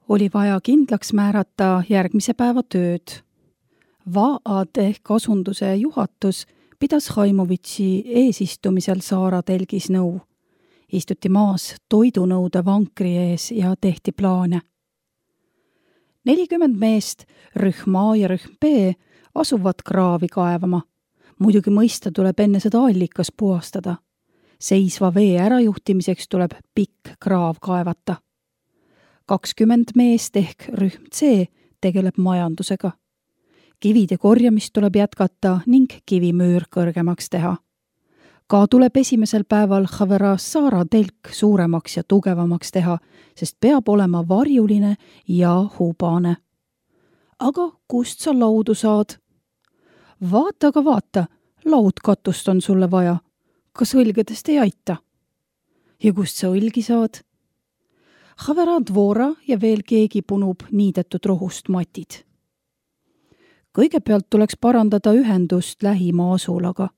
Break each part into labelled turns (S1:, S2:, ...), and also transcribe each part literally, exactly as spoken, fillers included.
S1: oli vaja kindlaks määrata järgmise päeva tööd. Vaad ehk asunduse juhatus pidas Haimovitši eesistumisel Saara telgis nõu. Istuti maas toidunõude vankri ees ja tehti plaane. nelikümmend meest, rühm A ja rühm B, asuvad kraavi kaevama. Muidugi mõista tuleb enne seda allikas puhastada. Seisva vee ärajuhtimiseks tuleb pikk kraav kaevata. kakskümmend meest ehk rühm C tegeleb majandusega. Kivide korjamist tuleb jätkata ning kivimüür kõrgemaks teha. Ka tuleb esimesel päeval Havera Saara telk suuremaks ja tugevamaks teha, sest peab olema varjuline ja hubane. Aga kust sa laudu saad? Vaata, aga vaata, laudkatust on sulle vaja. Kas õlgedest ei aita? Ja kust sa õlgi saad? Havera dvora ja veel keegi punub niidetud rohust matid. Kõigepealt tuleks parandada ühendust lähima asulaga.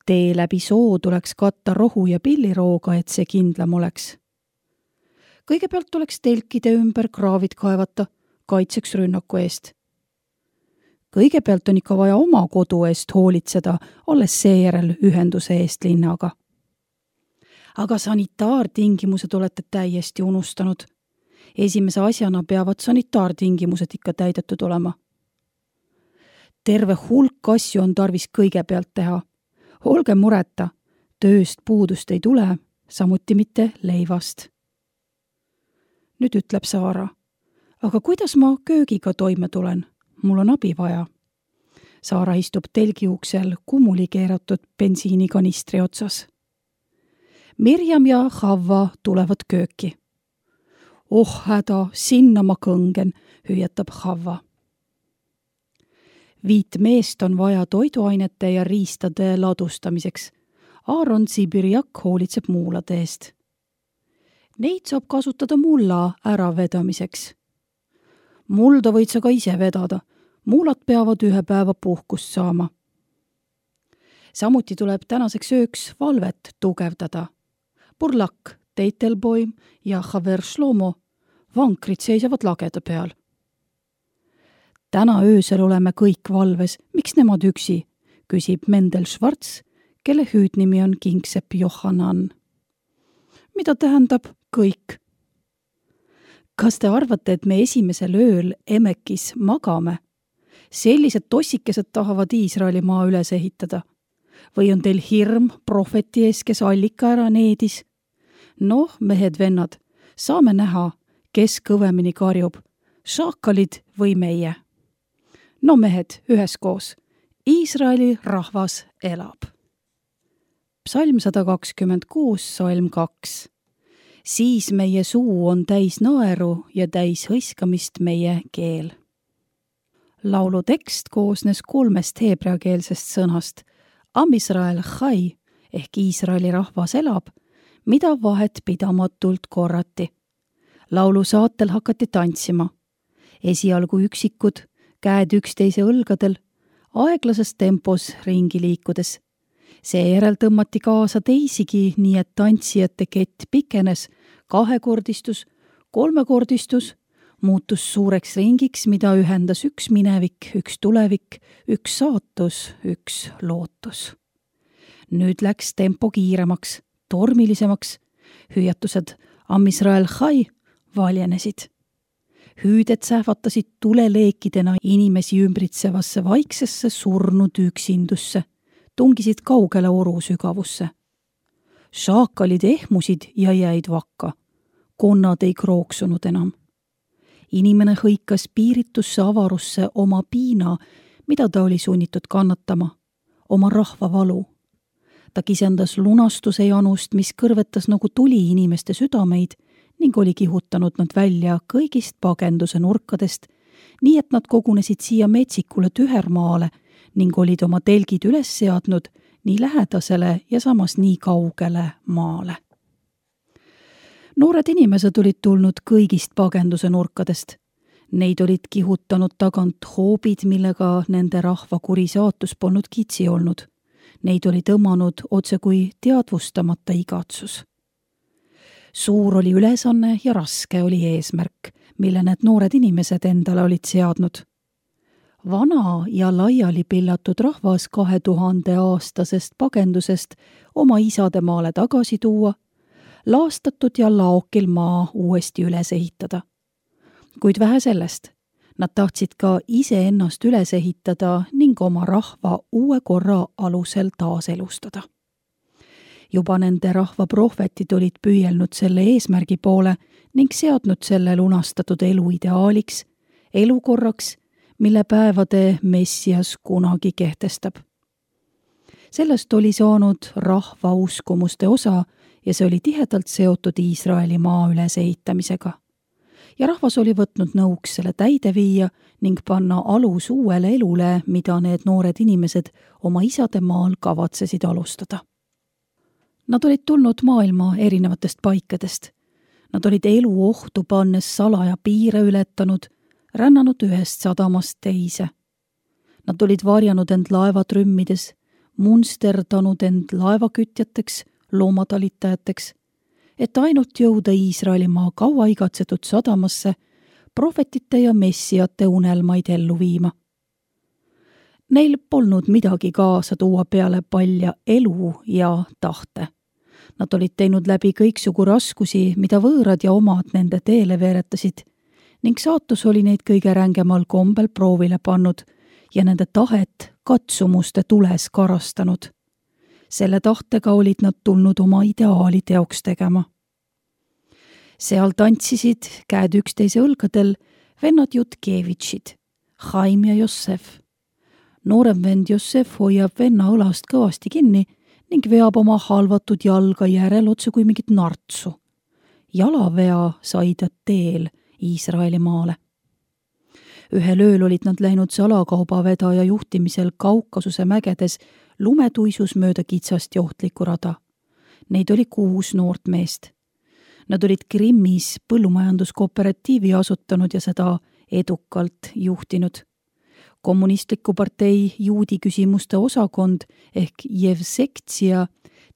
S1: Tee läbi soo tuleks katta rohu ja pillirooga, et see kindlam oleks. Kõigepealt tuleks telkide ümber kraavid kaevata, kaitseks rünnaku eest. Kõigepealt on ikka vaja oma kodu eest hoolitseda, alles seejärel ühenduse eest linnaga. Aga sanitaartingimused olete täiesti unustanud. Esimese asjana peavad sanitaartingimused ikka täidetud olema. Terve hulk asju on tarvis kõigepealt teha. Olge mureta, tööst puudust ei tule, samuti mitte leivast. Nüüd ütleb Saara, aga kuidas ma köögiga toime tulen? Mul on abi vaja. Saara istub telgi uksel kumuli keeratud bensiinikanistri otsas. Mirjam ja Havva tulevad kööki. Oh häda, sinna ma kõngen, hüüatab Havva. Viit meest on vaja toiduainete ja riistade ladustamiseks. Aaron Sibirjak hoolitseb muulade eest. Neid saab kasutada mulla äravedamiseks. Mulda võid sa ka ise vedada. Muulad peavad ühe päeva puhkust saama. Samuti tuleb tänaseks ööks valvet tugevdada. Burlak, Teitelboim ja Haver Shlomo vankrid seisavad lageda peal. Täna öösel oleme kõik valves, miks nemad üksi, küsib Mendel Schwarz, kelle hüüdnimi on Kingsepp Johanan. Mida tähendab kõik? Kas te arvate, et me esimesel ööl Emekis magame? Sellised tossikesed tahavad Iisraeli maa üles ehitada. Või on teil hirm prohveti ees, kes allika ära needis? Noh, mehed-vennad, saame näha, kes kõvemini karjub, šaakalid või meie. No mehed, üheskoos. Iisraeli rahvas elab. Psalm sada kakskümmend kuus, salm kaks. Siis meie suu on täis naeru ja täis hõiskamist meie keel. Laulu tekst koosnes kolmest heebreakeelsest sõnast. Am Israel chai ehk Iisraeli rahvas elab, mida vahet pidamatult korrati. Laulu saatel hakati tantsima. Esialgu üksikud, käed üksteise õlgadel, aeglases tempos ringi liikudes. Seejärel tõmmati kaasa teisigi, nii et tantsijate kett pikenes, kahekordistus, kolmekordistus, muutus suureks ringiks, mida ühendas üks minevik, üks tulevik, üks saatus, üks lootus. Nüüd läks tempo kiiremaks, tormilisemaks, hüüatused Am Israel chai valjenesid. Hüüded sähvatasid tuleleekidena inimesi ümbritsevasse vaiksesse surnud üksindusse, tungisid kaugele oru sügavusse. Šaakalid ehmusid ja jäid vakka. Konnad ei krooksunud enam. Inimene hõikas piiritusse avarusse oma piina, mida ta oli sunnitud kannatama, oma rahva valu. Ta kisendas lunastuse janust, mis kõrvetas nagu tuli inimeste südameid ning oli kihutanud nad välja kõigist pagenduse nurkadest, nii et nad kogunesid siia metsikule tühermaale ning olid oma telgid üles seadnud nii lähedasele ja samas nii kaugele maale. Noored inimesed olid tulnud kõigist pagenduse nurkadest. Neid olid kihutanud tagant hoobid, millega nende rahva kuri saatus polnud kitsi olnud. Neid oli tõmmanud otse kui teadvustamata igatsus. Suur oli ülesanne ja raske oli eesmärk, mille need noored inimesed endale olid seadnud. Vana ja laiali pillatud rahvas kahe tuhande aastasest pagendusest oma isademaale tagasi tuua, laastatud ja laokil maa uuesti üles ehitada. Kuid vähe sellest, nad tahtsid ka iseennast üles ehitada ning oma rahva uue korra alusel taaselustada. Juba nende rahva prohvetid olid püüelnud selle eesmärgi poole ning seadnud selle lunastatud elu ideaaliks, elukorraks, mille päevade Messias kunagi kehtestab. Sellest oli saanud rahva uskumuste osa ja see oli tihedalt seotud Iisraeli maa ülesehitamisega. Ja rahvas oli võtnud nõuks selle täide viia ning panna alus uuele elule, mida need noored inimesed oma isade maal kavatsesid alustada. Nad olid tulnud maailma erinevatest paikadest. Nad olid elu ohtu pannes salaja piire ületanud, rännanud ühest sadamast teise. Nad olid varjanud end laevatrümmides, munsterdanud end laevakütjateks, loomatalitajateks, et ainult jõuda Iisraelimaa kaua igatsetud sadamasse, prohvetite ja messiate unelmaid ellu viima. Neil polnud midagi kaasa tuua peale palja elu ja tahte. Nad olid teinud läbi kõiksugu raskusi, mida võõrad ja omad nende teele veeretasid, ning saatus oli neid kõige rängemal kombel proovile pannud ja nende tahet katsumuste tules karastanud. Selle tahtega olid nad tulnud oma ideaali teoks tegema. Seal tantsisid, käed üksteise õlgadel, vennad Jutkevitšid, Chaim ja Jossef. Noorem vend Jossef hoiab venna õlast kõvasti kinni ning veab oma halvatud jalga järel otse kui mingit nartsu. Jalavea sai ta teel Iisraeli maale. Ühel ööl olid nad läinud salakaubavedaja juhtimisel Kaukasuse mägedes lumetuisus mööda kitsast ja ohtlikku rada. Neid oli kuus noort meest. Nad olid Krimmis põllumajanduskooperatiivi asutanud ja seda edukalt juhtinud. Kommunistliku partei juudi küsimuste osakond ehk Jevsektsia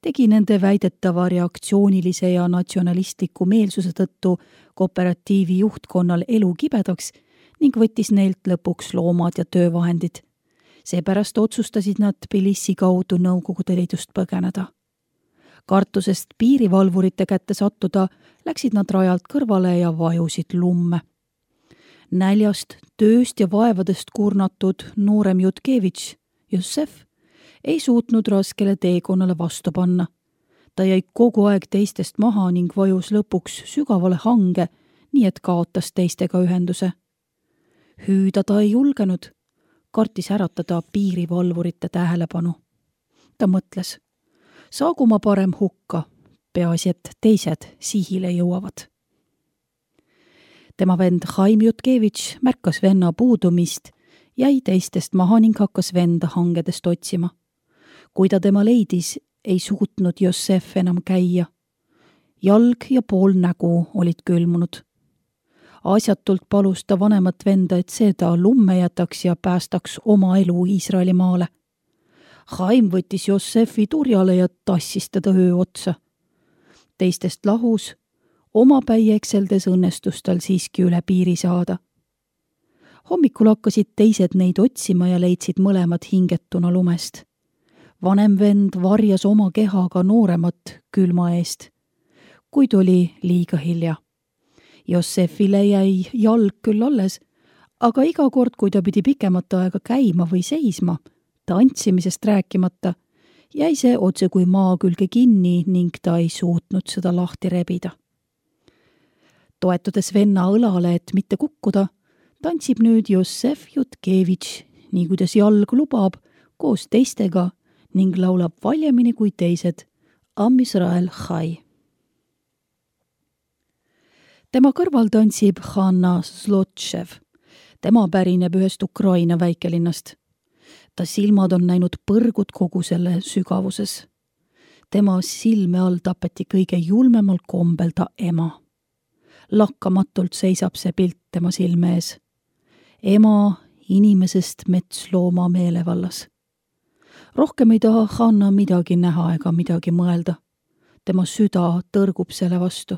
S1: tegi nende väidetava reaktsioonilise ja natsionalistliku meelsuse tõttu kooperatiivi juhtkonnal elu kibedaks ning võttis neilt lõpuks loomad ja töövahendid. Seepärast otsustasid nad Tbilisi kaudu Nõukogude Liidust põgeneda. Kartusest piirivalvurite kätte sattuda läksid nad rajalt kõrvale ja vajusid lumme. Näljast, tööst ja vaevadest kurnatud noorem Jutkevitš, Jossef, ei suutnud raskele teekonnale vastu panna. Ta jäi kogu aeg teistest maha ning vajus lõpuks sügavale hange, nii et kaotas teistega ühenduse. Hüüda ta ei julgenud, kartis äratada piirivalvurite tähelepanu. Ta mõtles, saagu ma parem hukka, peaasi, et teised sihile jõuavad. Tema vend Chaim Jutkevitš märkas venna puudumist, jäi teistest maha ning hakkas venda hangedest otsima. Kui ta tema leidis, ei suutnud Jossef enam käia. Jalg ja pool nägu olid külmunud. Asjatult palus ta vanemat venda, et see ta lumme jätaks ja päästaks oma elu Iisraeli maale. Chaim võttis Jossefi turjale ja tassis teda öö otsa. Teistest lahus, oma päi ekseldes õnnestus tal siiski üle piiri saada. Hommikul hakkasid teised neid otsima ja leidsid mõlemad hingetuna lumest. Vanem vend varjas oma kehaga nooremat külma eest, kuid oli liiga hilja. Jossefile jäi jalg küll alles, aga iga kord, kui ta pidi pikemat aega käima või seisma, tantsimisest rääkimata, jäi see otse kui maa külge kinni ning ta ei suutnud seda lahti rebida. Toetudes venna õlale, et mitte kukkuda, tantsib nüüd Jossef Jutkevitš, nii kuidas jalg lubab, koos teistega ning laulab valjemini kui teised Am Israel Chai. Tema kõrval tantsib Hanna Zlotšev. Tema pärineb ühest Ukraina väikelinnast. Ta silmad on näinud põrgud kogu selle sügavuses. Tema silme all tapeti kõige julmemal kombel ta ema. Lakkamatult seisab see pilt tema silme ees. Ema inimesest metslooma meelevallas. Rohkem ei taha Hanna midagi näha ega midagi mõelda. Tema süda tõrgub selle vastu.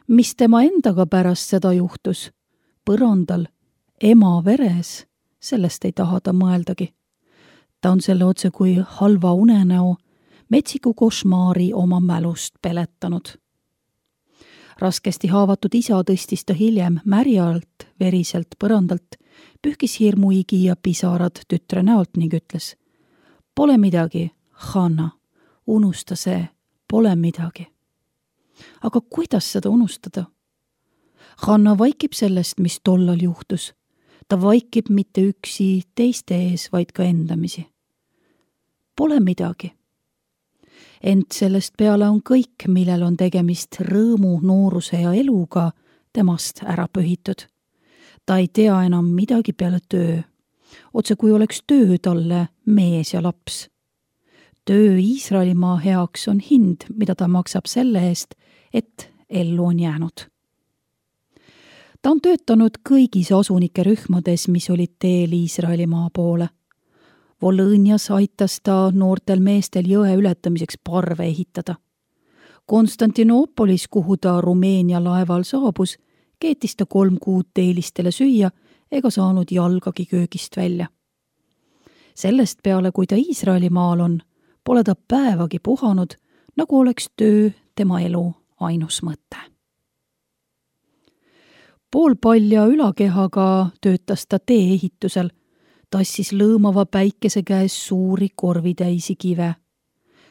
S1: mis tema endaga pärast seda juhtus, põrandal, ema veres, sellest ei taha ta mõeldagi. Ta on selle otse kui halva unenäo, metsiku košmaari oma mälust peletanud. Raskesti haavatud isa tõstis ta hiljem märjalt, veriselt põrandalt, pühkis hirmuigi ja pisarad tütre näolt ning ütles: "Pole midagi, Hanna, unusta see, pole midagi." Aga kuidas seda unustada? Hanna vaikib sellest, mis tollal juhtus. Ta vaikib mitte üksi teiste ees, vaid ka endamisi. Pole midagi. Ent sellest peale on kõik, millel on tegemist rõõmu, nooruse ja eluga, temast ära pühitud. Ta ei tea enam midagi peale töö. Otse kui oleks töö talle mees ja laps. Töö Iisraelimaa heaks on hind, mida ta maksab selle eest, et ellu on jäänud. Ta on töötanud kõigis asunike rühmades, mis olid teel Iisraelimaa poole. Volõnias aitas ta noortel meestel jõe ületamiseks parve ehitada. Konstantinoopolis, kuhu ta Rumeenia laeval saabus, keetis ta kolm kuud teelistele süüa ega saanud jalgagi köögist välja. Sellest peale, kui ta Iisraelimaal on, pole ta päevagi puhanud, nagu oleks töö tema elu ainus mõte. Poolpalja ülakehaga töötas ta tee-ehitusel, tassis lõõmava päikese käes suuri korvitäisi kive.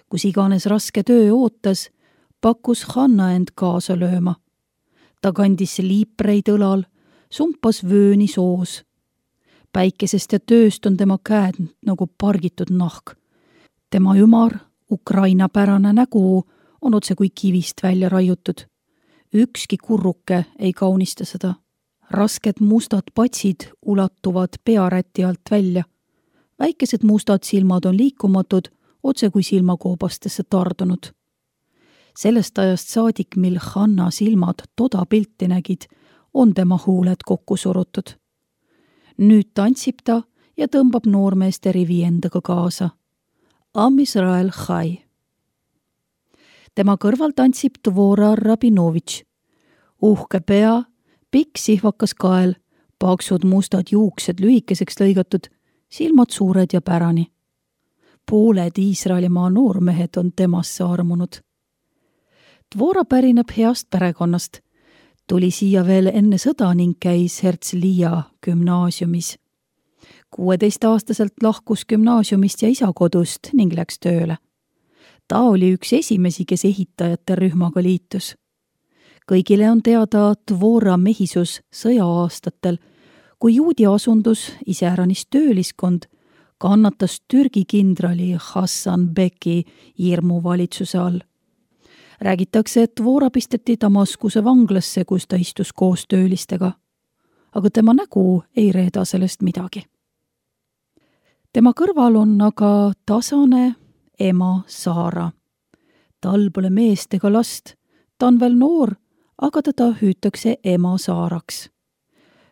S1: Kus iganes raske töö ootas, pakkus Hanna end kaasa lööma. Ta kandis liipreid õlal, sumpas vööni soos. Päikesest ja tööst on tema käed nagu pargitud nahk. Tema ümar, Ukraina pärane nägu on otse kui kivist välja raiutud. Ükski kurruke ei kaunista seda. Rasked mustad patsid ulatuvad pearäti alt välja. Väikesed mustad silmad on liikumatud, otse kui silmakoobastesse tardunud. Sellest ajast saadik, mil Hanna silmad toda pilti nägid, on tema huuled kokku surutud. Nüüd tantsib ta ja tõmbab noormeeste rivi endaga kaasa. Am Israel Chai. Tema kõrval tantsib Dvora Rabinovitš. Uhke pea, pikk sihvakas kael, paksud mustad juuksed lühikeseks lõigatud, silmad suured ja pärani. Pooled Iisraelimaa noormehed on temasse armunud. Dvora pärineb heast perekonnast. Tuli siia veel enne sõda ning käis Herzliya gümnaasiumis. kuueteistaastaselt lahkus gümnaasiumist ja isa kodust ning läks tööle. Ta oli üks esimesi, kes ehitajate rühmaga liitus. Kõigile on teada Dvora mehisus sõja-aastatel, kui juudi asundus, iseäranis tööliskond, kannatas Türgi kindrali Hassan Beki hirmuvalitsuse all. Räägitakse, et Dvora pisteti Damaskuse vanglasse, kus ta istus koos töölistega. Aga tema nägu ei reeda sellest midagi. Tema kõrval on aga tasane ema Saara. Tal pole meest ega last, ta on veel noor, aga teda hüütakse ema Saaraks.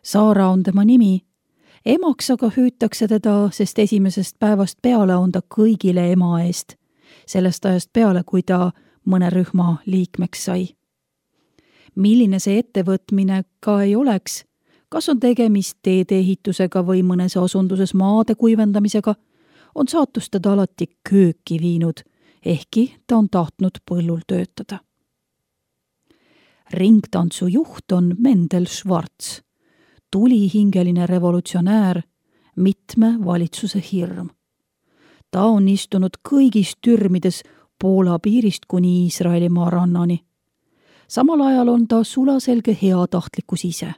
S1: Saara on tema nimi, emaks aga hüütakse teda, sest esimesest päevast peale on ta kõigile ema eest, sellest ajast peale, kui ta mõne rühma liikmeks sai. Milline see ettevõtmine ka ei oleks, kas on tegemist teedeehitusega või mõnes asunduses maade kuivendamisega, on saatus teda alati kööki viinud, ehkki ta on tahtnud põllul töötada. Ringtantsu juht on Mendel Schwarz, tulihingeline revolutsionäär, mitme valitsuse hirm. Ta on istunud kõigis türmides Poola piirist kuni Iisraelimaa rannani. Samal ajal on ta sulaselge heatahtlikkus ise.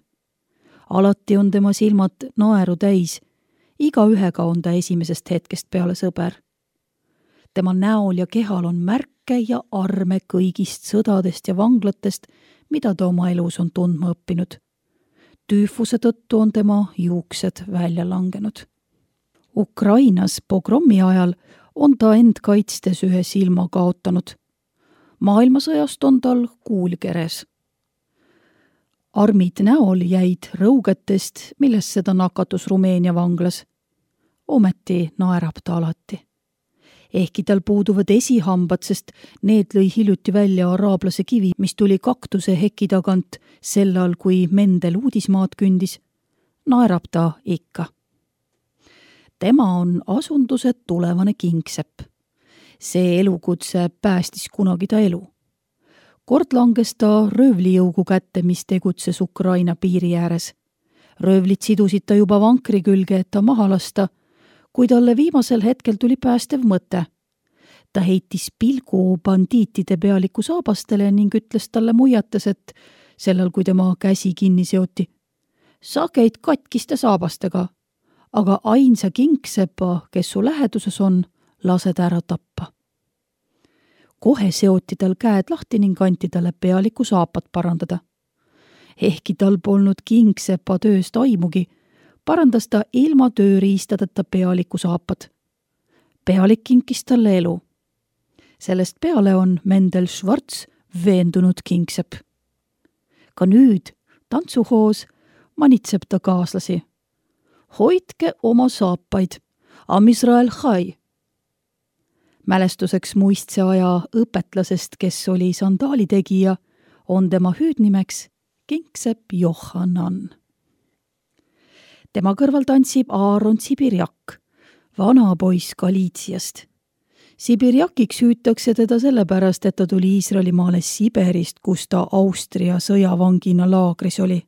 S1: Alati on tema silmad naeru täis, iga ühega on ta esimesest hetkest peale sõber. Tema näol ja kehal on märke ja arme kõigist sõdadest ja vanglatest, mida ta oma elus on tundma õppinud. Tüüfuse tõttu on tema juuksed välja langenud. Ukrainas pogromi ajal on ta end kaitstes ühe silma kaotanud. Maailmasõjast on tal kuul keres. Armid näol jäid rõugetest, millesse ta nakatus Rumeenia vanglas. Ometi naerab ta alati. Ehkki tal puuduvad esihambad, sest need lõi hiljuti välja araablase kivi, mis tuli kaktuse heki tagant sellal, kui Mendel uudismaad kündis, naerab ta ikka. Tema on asunduse tulevane kingsepp. See elukutse päästis kunagi ta elu. Kord langes ta röövlijõugu kätte, mis tegutses Ukraina piiri ääres. Röövlid sidusid ta juba vankri külge, et ta maha lasta, kui talle viimasel hetkel tuli päästev mõte. Ta heitis pilgu bandiitide pealiku saabastele ning ütles talle muiates, et sellel, kui tema käsi kinni seoti. Sa käid katkiste saabastega, aga ainsa kingsepa, kes su läheduses on, lased ära tappa. Kohe seoti tal käed lahti ning anti talle pealiku saapad parandada. Ehkki tal polnud kingsepa tööst aimugi, parandas ta ilma tööriistadeta pealiku saapad. Pealik kinkis talle elu. Sellest peale on Mendel Schwarz veendunud kingsepp. Ka nüüd tantsuhoos manitseb ta kaaslasi. Hoidke oma saapaid, Am Israel Chai. Mälestuseks muistse aja õpetlasest, kes oli sandaalitegija, on tema hüüdnimeks kingsepp Johanan. Tema kõrval tantsib Aaron Sibirjak, vana poiss Galiitsiast. Sibirjakiks hüütakse teda sellepärast, et ta tuli Iisraelimaale Siberist, kus ta Austria sõjavangina laagris oli.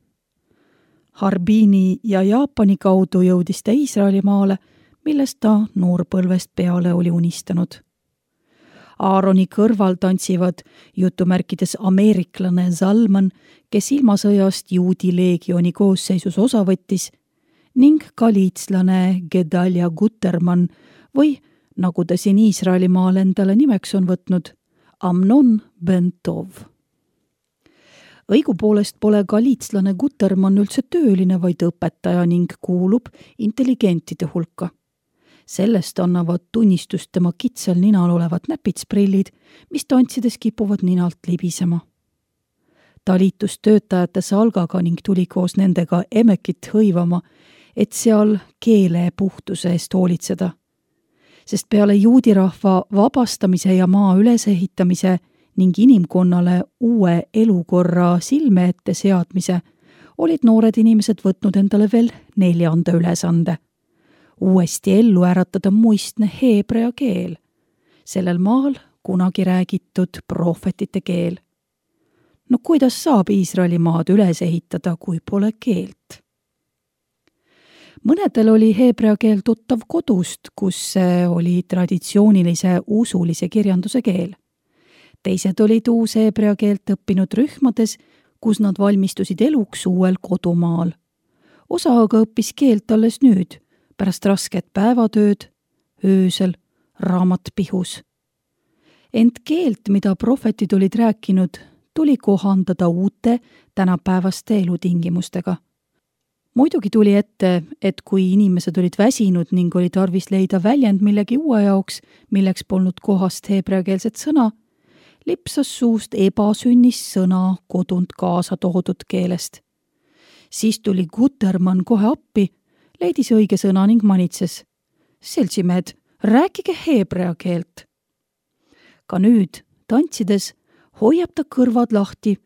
S1: Harbini ja Jaapani kaudu jõudis ta Iisraelimaale, millest ta noorpõlvest peale oli unistanud. Aaroni kõrval tantsivad jutumärkides ameeriklane Zalman, kes ilmasõjast juudi leegioni koosseisus osa võttis, ning galiitslane Gedalia Gutermann või, nagu ta siin Iisraelimaal endale nimeks on võtnud, Amnon ben Tov. Õigupoolest pole galiitslane Gutermann üldse tööline, vaid õpetaja ning kuulub intelligentide hulka. Sellest annavad tunnistust tema kitsal ninal olevad näpitsprillid, mis tantsides kipuvad ninalt libisema. Ta liitus töötajate salgaga ning tuli koos nendega emekit hõivama, et seal keele puhtuse eest hoolitseda. Sest peale juudirahva vabastamise ja maa ülesehitamise ning inimkonnale uue elukorra silme ette seadmise olid noored inimesed võtnud endale veel neljanda ülesande. Uuesti ellu äratada muistne heebrea keel, sellel maal kunagi räägitud prohvetite keel. No kuidas saab Iisraeli maad üles ehitada, kui pole keelt? Mõnedel oli heebrea keel tuttav kodust, kus see oli traditsioonilise usulise kirjanduse keel. Teised olid uus heebrea keelt õppinud rühmades, kus nad valmistusid eluks uuel kodumaal. Osa aga õppis keelt alles nüüd, pärast rasket päevatööd, öösel, raamat pihus. Ent keelt, mida prohvetid olid rääkinud, tuli kohandada uute tänapäevaste elutingimustega. Muidugi tuli ette, et kui inimesed olid väsinud ning oli tarvis leida väljend millegi uue jaoks, milleks polnud kohast heebreakeelset sõna, lipsas suust ebasünnis sõna kodunt kaasa toodud keelest. Siis tuli Gutermann kohe appi, leidis õige sõna ning manitses. Seltsimehed, rääkige heebrea keelt. Ka nüüd, tantsides, hoiab ta kõrvad lahti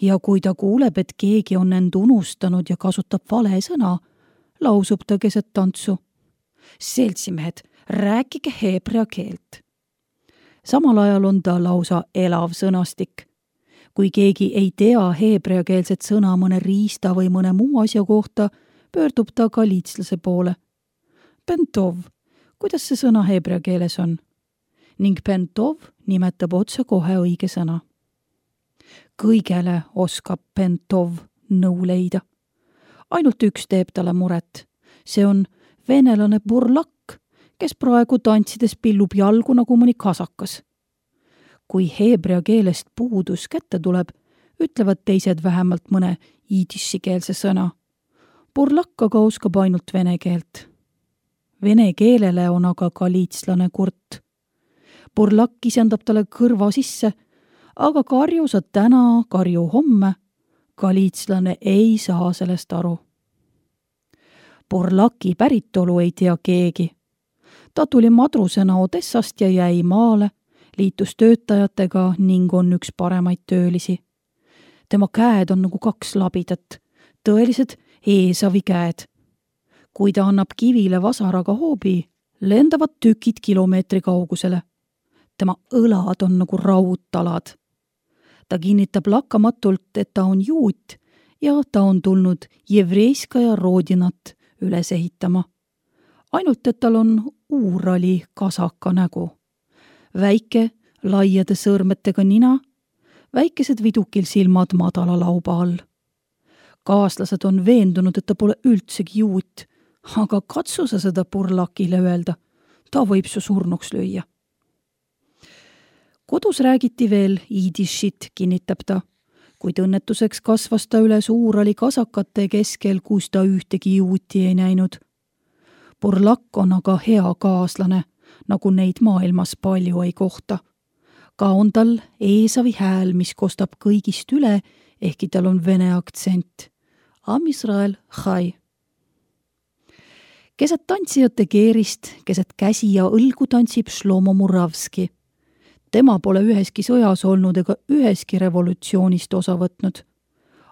S1: ja kui ta kuuleb, et keegi on end unustanud ja kasutab vale sõna, lausub ta keset tantsu. Seltsimehed, rääkige heebrea keelt. Samal ajal on ta lausa elav sõnastik. Kui keegi ei tea heebreakeelset sõna mõne riista või mõne muu asja kohta, pöördub ta galiitslase poole. Bentov, kuidas see sõna heebrea keeles on? Ning Bentov nimetab otse kohe õige sõna. Kõigele oskab Bentov nõu leida. Ainult üks teeb talle muret. See on venelane burlak, kes praegu tantsides pillub jalgu nagu mõni kasakas. Kui heebrea keelest puudus kätte tuleb, ütlevad teised vähemalt mõne iidissikeelse sõna. Burlak aga oskab ainult vene keelt. Vene keelele on aga galiitslane kurt. Burlak isendab talle kõrva sisse, aga karju sa täna, karju homme. Galiitslane ei saa sellest aru. Burlaki päritolu ei tea keegi. Ta tuli madrusena Odessast ja jäi maale, liitus töötajatega ning on üks paremaid töölisi. Tema käed on nagu kaks labidat, tõelised Eesavi käed. Kui ta annab kivile vasaraga hoobi, lendavad tükid kilomeetri kaugusele. Tema õlad on nagu raudtalad. Ta kinnitab lakkamatult, et ta on juut ja ta on tulnud Jevreiskaja Rodinat üles ehitama. Ainult, et tal on uurali kasaka nägu. Väike, laiade sõrmetega nina, väikesed vidukil silmad madala lauba all. Kaaslased on veendunud, et ta pole üldsegi juut, aga katsu sa seda purlakile öelda. Ta võib su surnuks lüüa. Kodus räägiti veel iidishit, kinnitab ta, kuid õnnetuseks kasvas ta üles uurali kasakate keskel, kus ta ühtegi juuti ei näinud. Purlak on aga hea kaaslane, nagu neid maailmas palju ei kohta. Ka on tal Eesavi hääl, mis kostab kõigist üle, ehkki tal on vene aktsent. Am Israel chai. Keset tantsijate keerist, keset käsi ja õlgu tantsib Shlomo Muravski. Tema pole üheski sõjas olnud ega üheski revolutsioonist osa võtnud.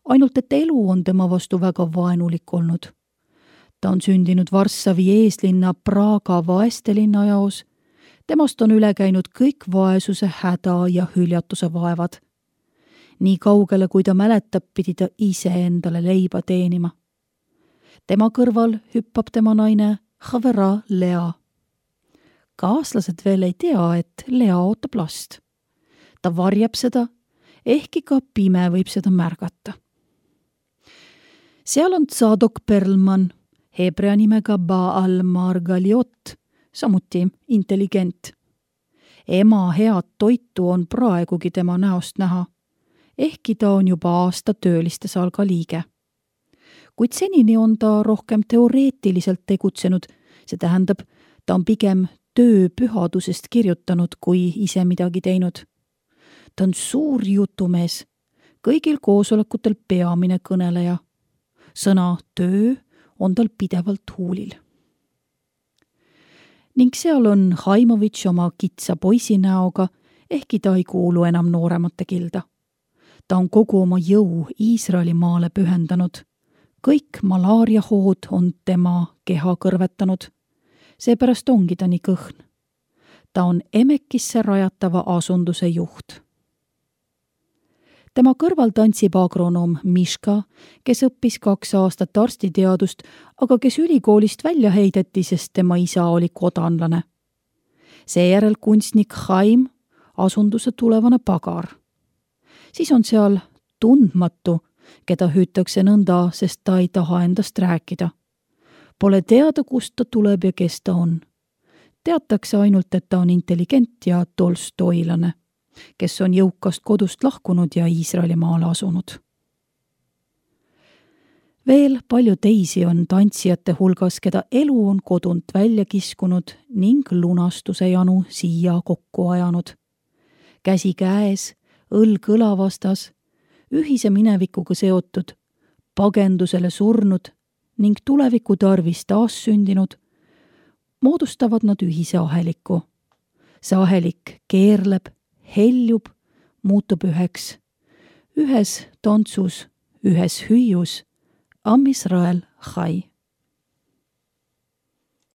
S1: Ainult, et elu on tema vastu väga vaenulik olnud. Ta on sündinud Varssavi eeslinna Praga vaestelinna jaos. Temast on üle käinud kõik vaesuse, häda ja hüljatuse vaevad. Nii kaugele, kui ta mäletab, pidi ta ise endale leiba teenima. Tema kõrval hüppab tema naine Havera Lea. Kaaslased veel ei tea, et Lea ootab last. Ta varjab seda, ehkki ka pime võib seda märgata. Seal on Tzadok Perlman, hebrea nimega Baal Margaliot, samuti intelligent. Ema head toitu on praegugi tema näost näha, ehkki ta on juba aasta tööliste salga liige. Kuid senini on ta rohkem teoreetiliselt tegutsenud, see tähendab, ta on pigem töö pühadusest kirjutanud, kui ise midagi teinud. Ta on suur jutumees, kõigil koosolekutel peamine kõneleja. Sõna töö on tal pidevalt huulil. Ning seal on Haimovitš oma kitsa poisi näoga, ehkki ta ei kuulu enam nooremate kilda. Ta on kogu oma jõu Iisraeli maale pühendanud. Kõik malaariahood on tema keha kõrvetanud. Seepärast ongi ta nii kõhn. Ta on Emekisse rajatava asunduse juht. Tema kõrval tantsib agronoom Miška, kes õppis kaks aastat arstiteadust, aga kes ülikoolist välja heideti, sest tema isa oli kodanlane. Seejärel kunstnik Haim, asunduse tulevane pagar. Siis on seal tundmatu, keda hüütakse nõnda, sest ta ei taha endast rääkida. Pole teada, kust ta tuleb ja kes ta on. Teatakse ainult, et ta on intelligent ja tolstoilane, kes on jõukast kodust lahkunud ja Iisraeli maale asunud. Veel palju teisi on tantsijate hulgas, keda elu on kodunt välja kiskunud ning lunastuse janu siia kokku ajanud. Käsi käes, õlg õla vastas, ühise minevikuga seotud, pagendusele surnud ning tuleviku tarvis taas sündinud, moodustavad nad ühise aheliku. See ahelik keerleb, heljub, muutub üheks. Ühes tantsus, ühes hüüus, Am Israel chai.